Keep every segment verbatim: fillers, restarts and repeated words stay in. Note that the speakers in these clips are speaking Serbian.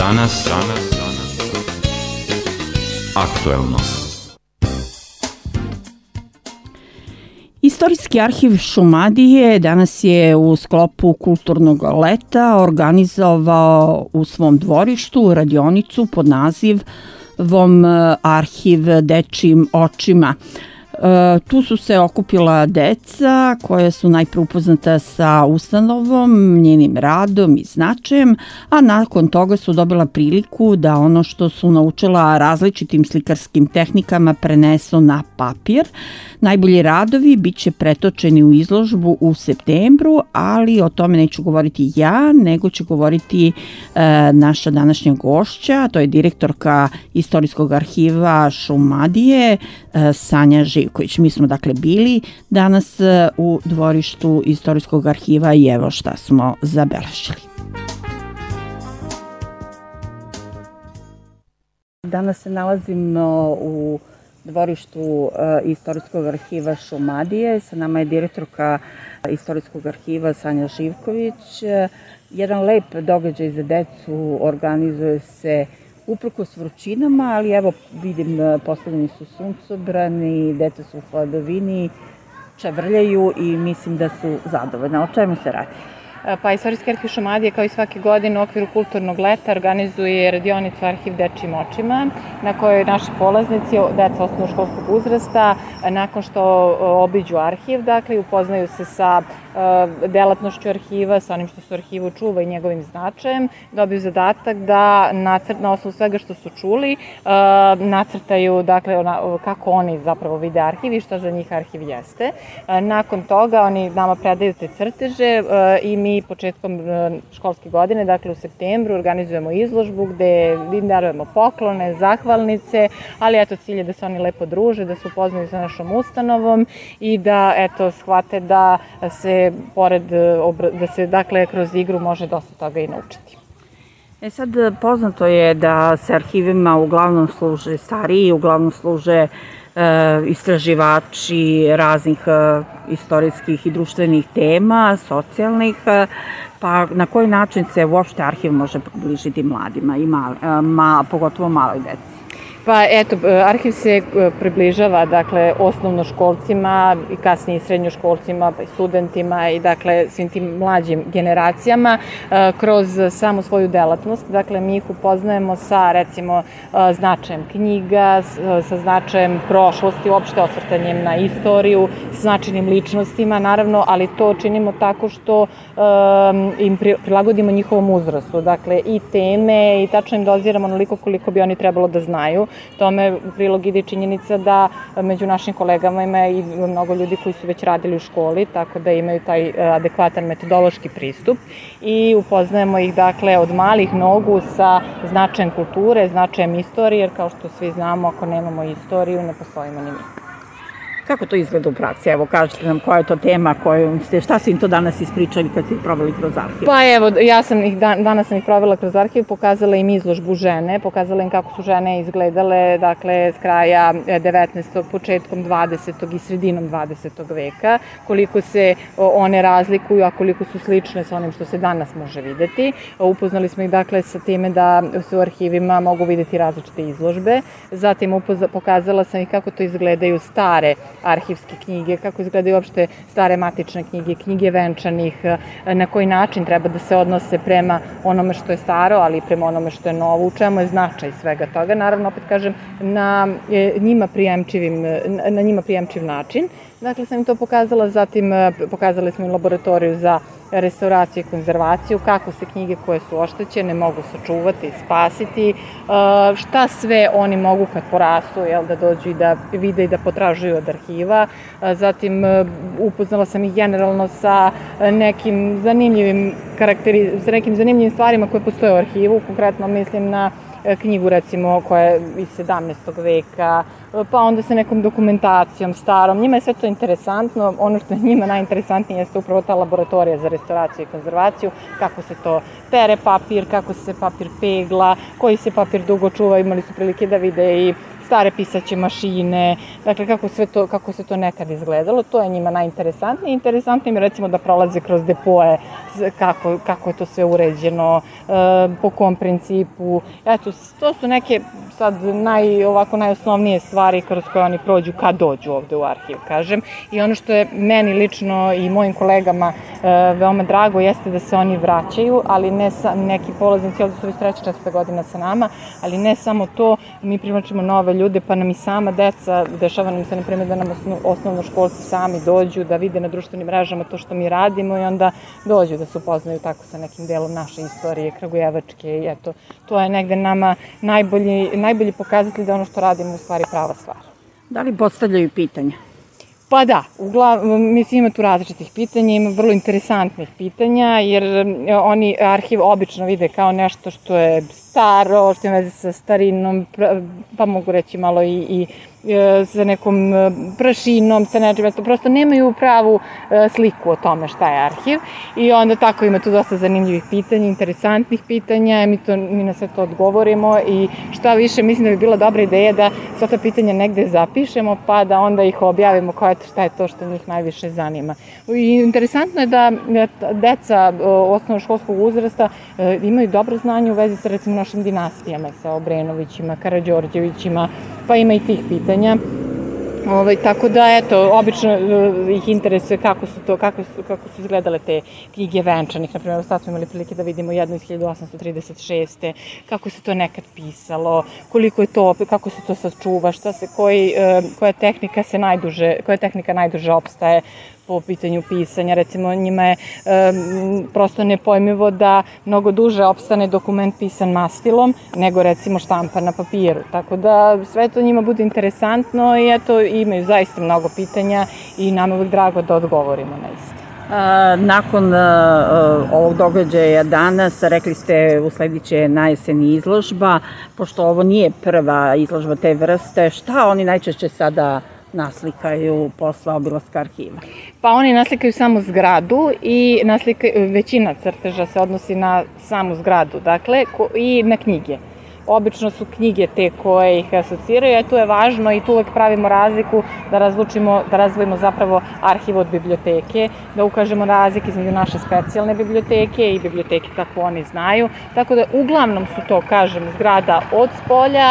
Danas, danas, aktuelno. Istorijski arhiv Šumadije danas je u sklopu kulturnog leta organizovao u svom dvorištu radionicu pod nazivom Arhiv dečijim očima. Tu su se okupila deca koja su najpre upoznata sa ustanovom, njenim radom i značajem, a nakon toga su dobila priliku da ono što su naučila različitim slikarskim tehnikama prenesu na papir. Najbolji radovi bit će pretočeni u izložbu u septembru, ali o tome neću govoriti ja, nego će govoriti e, naša današnja gošća, to je direktorka Istorijskog arhiva Šumadije, e, Sanja Živković. Mi smo dakle bili danas u dvorištu Istorijskog arhiva i evo šta smo zabeležili. Danas se nalazimo u dvorištu Istorijskog arhiva Šumadije. Sa nama je direktorka Istorijskog arhiva Sanja Živković. Jedan lep događaj za decu organizuje se uprkos vrućinama, ali evo vidim postavljeni su suncobrani, deca su u hladovini, čavrljaju i mislim da su zadovoljne. O čemu se radi? Pa Istorijski arhiv Šumadije kao i svake godine u okviru kulturnog leta organizuje radionicu Arhiv dečijim očima na kojoj naši polaznici, deca osnovnoškolskog uzrasta, nakon što obiđu arhiv, dakle upoznaju se sa delatnošću arhiva, sa onim što se u arhivu čuva i njegovim značajem, dobiju zadatak da nacrt, na osnovu svega što su čuli nacrtaju dakle, kako oni zapravo vide arhiv i šta za njih arhiv jeste. Nakon toga oni nama predaju te crteže i mi početkom školske godine, dakle u septembru, organizujemo izložbu gde im darujemo poklone, zahvalnice, ali eto cilj je da se oni lepo druže, da se upoznaju sa našom ustanovom i da eto shvate da se pored, da se dakle kroz igru može dosta toga i naučiti. E sad, poznato je da se arhivima uglavnom služe stariji, uglavnom služe istraživači raznih istorijskih i društvenih tema, socijalnih, pa na koji način se uopšte arhiv može približiti mladima, i mali, ma, pogotovo maloj deci? Pa eto, arhiv se približava dakle osnovnoškolcima i kasnije srednjoškolcima, pa i studentima i dakle svim tim mlađim generacijama kroz samu svoju delatnost. Dakle, mi ih upoznajemo sa recimo značajem knjiga, sa značajem prošlosti, uopšte osvrtanjem na istoriju, sa značajnim ličnostima, naravno, ali to činimo tako što im prilagodimo njihovom uzrastu. Dakle, i teme i tačno im doziramo onoliko koliko bi oni trebalo da znaju. Tome u prilog ide činjenica da među našim kolegama ima i mnogo ljudi koji su već radili u školi, tako da imaju taj adekvatan metodološki pristup i upoznajemo ih dakle od malih nogu sa značajem kulture, značajem istorije, jer kao što svi znamo, ako nemamo istoriju, ne postojimo ni mi. Kako to izgleda u praksi? Evo, kažete nam koja je to tema, koju ste, šta su im to danas ispričali kad ste ih proveli kroz arhiv? Pa evo, ja sam ih, danas sam ih provela kroz arhiv, pokazala im izložbu žene, pokazala im kako su žene izgledale, dakle, s kraja devetnaestog, početkom dvadesetog i sredinom dvadesetog veka, koliko se one razlikuju, a koliko su slične sa onim što se danas može videti. Upoznali smo ih, dakle, sa time da se u arhivima mogu videti različite izložbe. Zatim pokazala sam ih kako to izgledaju stare arhivske knjige, kako izgledaju uopšte stare matične knjige, knjige venčanih, na koji način treba da se odnose prema onome što je staro, ali i prema onome što je novo, u čemu je značaj svega toga. Naravno, opet kažem, na njima prijemčivim, na njima prijemčiv način. Dakle, sam im to pokazala, zatim pokazali smo im laboratoriju za restauraciju i konzervaciju, kako se knjige koje su oštećene mogu sačuvati, spasiti, šta sve oni mogu kad porastu, jel, da dođu i da vide i da potražuju od arhiva. Zatim upoznala sam ih generalno sa nekim zanimljivim karakteri, sa nekim zanimljivim stvarima koje postoje u arhivu, konkretno mislim na knjigu recimo koja je iz sedamnaestog veka, pa onda sa nekom dokumentacijom starom. Njima je sve to interesantno. Ono što je njima najinteresantnije jeste upravo ta laboratorija za restauraciju i konzervaciju, kako se to pere papir, kako se papir pegla, koji se papir dugo čuva. Imali su prilike da vide i stare pisaće mašine, dakle kako sve to, kako se to nekad izgledalo, to je njima najinteresantnije. Interesantno im je recimo da prolaze kroz depoje, kako, kako je to sve uređeno, po kom principu. Eto, to su neke sad naj, ovako najosnovnije stvari kroz koje oni prođu kad dođu ovde u arhiv, kažem. I ono što je meni lično i mojim kolegama e, veoma drago jeste da se oni vraćaju, ali ne sa, neki polaznici, ovde su već treća, četvrta godina sa nama, ali ne samo to, mi privlačimo nove ljude, pa nam i sama deca, dešava nam se na primjer da nam osno, osnovnoškolci sami dođu, da vide na društvenim mrežama to što mi radimo i onda dođu da se upoznaju tako sa nekim delom naše istorije, kragujevačke i eto, to je negde nama najbolji, najbolji pokazatelj da ono što radimo u stvari prava stvar. Da li postavljaju pitanja? Pa da, uglavnom, mislim ima tu različitih pitanja, ima vrlo interesantnih pitanja, jer oni arhiv obično vide kao nešto što je staro, što ima veze sa starinom, pa mogu reći malo i, i sa nekom prašinom, sa nečim, to prosto nemaju pravu sliku o tome šta je arhiv i onda tako ima tu dosta zanimljivih pitanja, interesantnih pitanja, mi, to, mi na sve to odgovorimo i šta više mislim da bi bila dobra ideja da sva ta pitanja negde zapišemo pa da onda ih objavimo kao eto šta je to što njih najviše zanima. I interesantno je da deca osnovnoškolskog uzrasta imaju dobro znanje u vezi sa recimo našim dinastijama, sa Obrenovićima, Karađorđevićima, pa ima i tih pitanja. Ovaj, tako da, eto, obično uh, ih interesuje kako su to, kako su, kako su izgledale te knjige venčanih. Naprimjer, sad smo imali prilike da vidimo jednu iz hiljadu osamsto trideset šeste. Kako se to nekad pisalo, koliko je to, kako se to sačuva, šta se, koji, uh, koja tehnika se najduže, koja tehnika najduže opstaje po pitanju pisanja. Recimo, njima je um, prosto nepojmivo da mnogo duže opstane dokument pisan mastilom nego recimo štampan na papiru. Tako da sve to njima bude interesantno i eto imaju zaista mnogo pitanja i nam je uvijek drago da odgovorimo na isto. Nakon uh, ovog događaja danas, rekli ste usledit će na jeseni izložba, pošto ovo nije prva izložba te vrste, šta oni najčešće sada naslikaju posle obilaska arhiva? Pa oni naslikaju samo zgradu i naslikaju, većina crteža se odnosi na samu zgradu, dakle, ko, i na knjige. Obično su knjige te koje ih asociraju, a tu je važno i tu uvek pravimo razliku da razlučimo, da razdvojimo zapravo arhiv od biblioteke, da ukažemo razlike između naše specijalne biblioteke i biblioteke kako oni znaju. Tako da uglavnom su to, kažem, zgrada od spolja,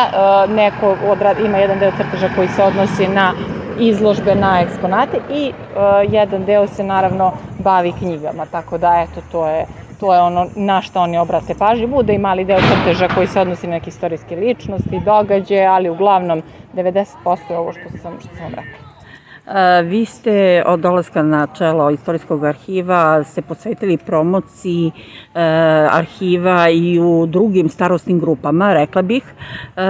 neko odrad, ima jedan deo crteža koji se odnosi na izložbe, na eksponate i uh, jedan deo se naravno bavi knjigama, tako da eto to je to je ono na što oni obrate pažnju. Bude i mali deo crteža koji se odnosi na neke istorijske ličnosti, događaje, ali uglavnom devedeset posto je ovo što sam, što sam vam rekla. Vi ste od dolaska na čelo Istorijskog arhiva se posvetili promociji e, arhiva i u drugim starosnim grupama, rekla bih. E,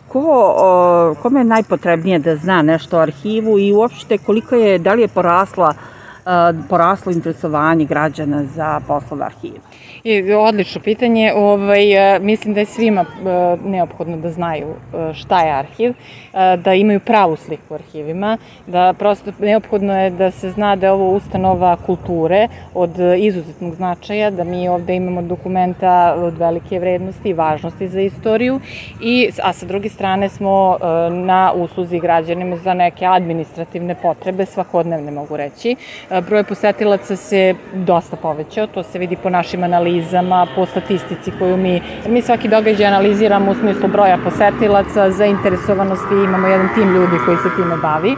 ko, o, kome je najpotrebnije da zna nešto o arhivu i uopšte koliko je, da li je porasla poraslo interesovanje građana za poslove arhiva? I, odlično pitanje. Ovaj, mislim da je svima neophodno da znaju šta je arhiv, da imaju pravu sliku u arhivima, da prosto neophodno je da se zna da je ovo ustanova kulture od izuzetnog značaja, da mi ovde imamo dokumenta od velike vrednosti i važnosti za istoriju, i, a sa druge strane smo na usluzi građanima za neke administrativne potrebe, svakodnevne mogu reći. Broj posetilaca se dosta povećao, to se vidi po našim analizama, po statistici koju mi, jer mi svaki događaj analiziramo u smislu broja posetilaca, zainteresovanosti, imamo jedan tim ljudi koji se time bavi.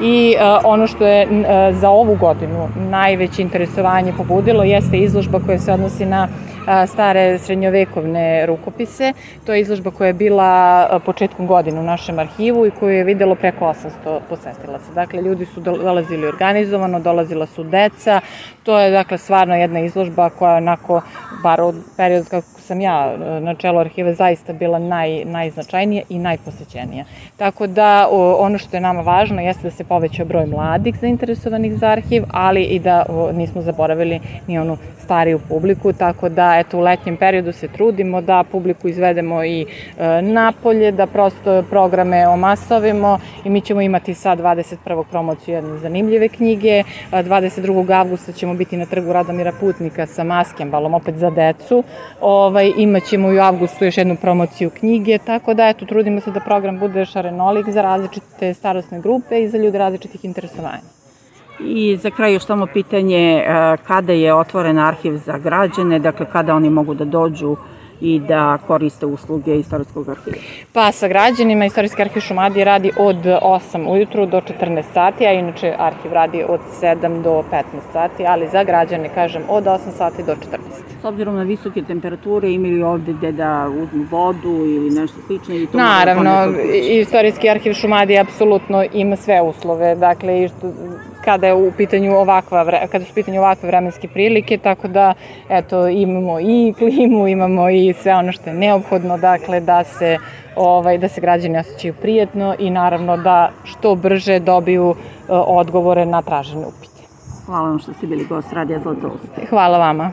I uh, ono što je uh, za ovu godinu najveće interesovanje pobudilo jeste izložba koja se odnosi na uh, stare srednjovekovne rukopise. To je izložba koja je bila uh, početkom godine u našem arhivu i koju je videlo preko osamsto posetilaca. Dakle, ljudi su dolazili organizovano, dolazila su deca. To je, dakle, stvarno jedna izložba koja onako, bar od perioda kako sam ja na čelu arhiva, zaista bila naj, najznačajnija i najposećenija. Tako da o, ono što je nama važno jeste da se poveća broj mladih zainteresovanih za arhiv, ali i da o, nismo zaboravili ni onu stariju publiku, tako da eto u letnjem periodu se trudimo da publiku izvedemo i e, napolje, da prosto programe omasovimo i mi ćemo imati sad dvadeset prvog promociju jedne zanimljive knjige, dvadeset drugog avgusta ćemo biti na trgu Radomira Putnika sa maskembalom, opet za decu, ovaj, ovaj, imat ćemo i u avgustu još jednu promociju knjige, tako da eto, trudimo se da program bude šarenolik za različite starosne grupe i za ljude različitih interesovanja. I za kraj još samo pitanje kada je otvoren arhiv za građane, dakle kada oni mogu da dođu i da koriste usluge Istorijskog arhiva? Pa sa građanima Istorijski arhiv Šumadije radi od osam ujutru do četrnaest sati, a inače arhiv radi od sedam do petnaest sati, ali za građane, kažem, od osam sati do četrnaest. S obzirom na visoke temperature, imaju ovde gde da uzmu vodu ili nešto slično? Naravno, Istorijski arhiv Šumadije apsolutno ima sve uslove, dakle, kada je u pitanju ovakva, kada su u pitanju ovakve vremenske prilike, tako da, eto, imamo i klimu, imamo i sve ono što je neophodno, dakle, da se, ovaj, da se građani osjećaju prijetno i naravno da što brže dobiju odgovore na tražene upite. Hvala vam što ste bili gost Radija Zlatoust. Hvala vama.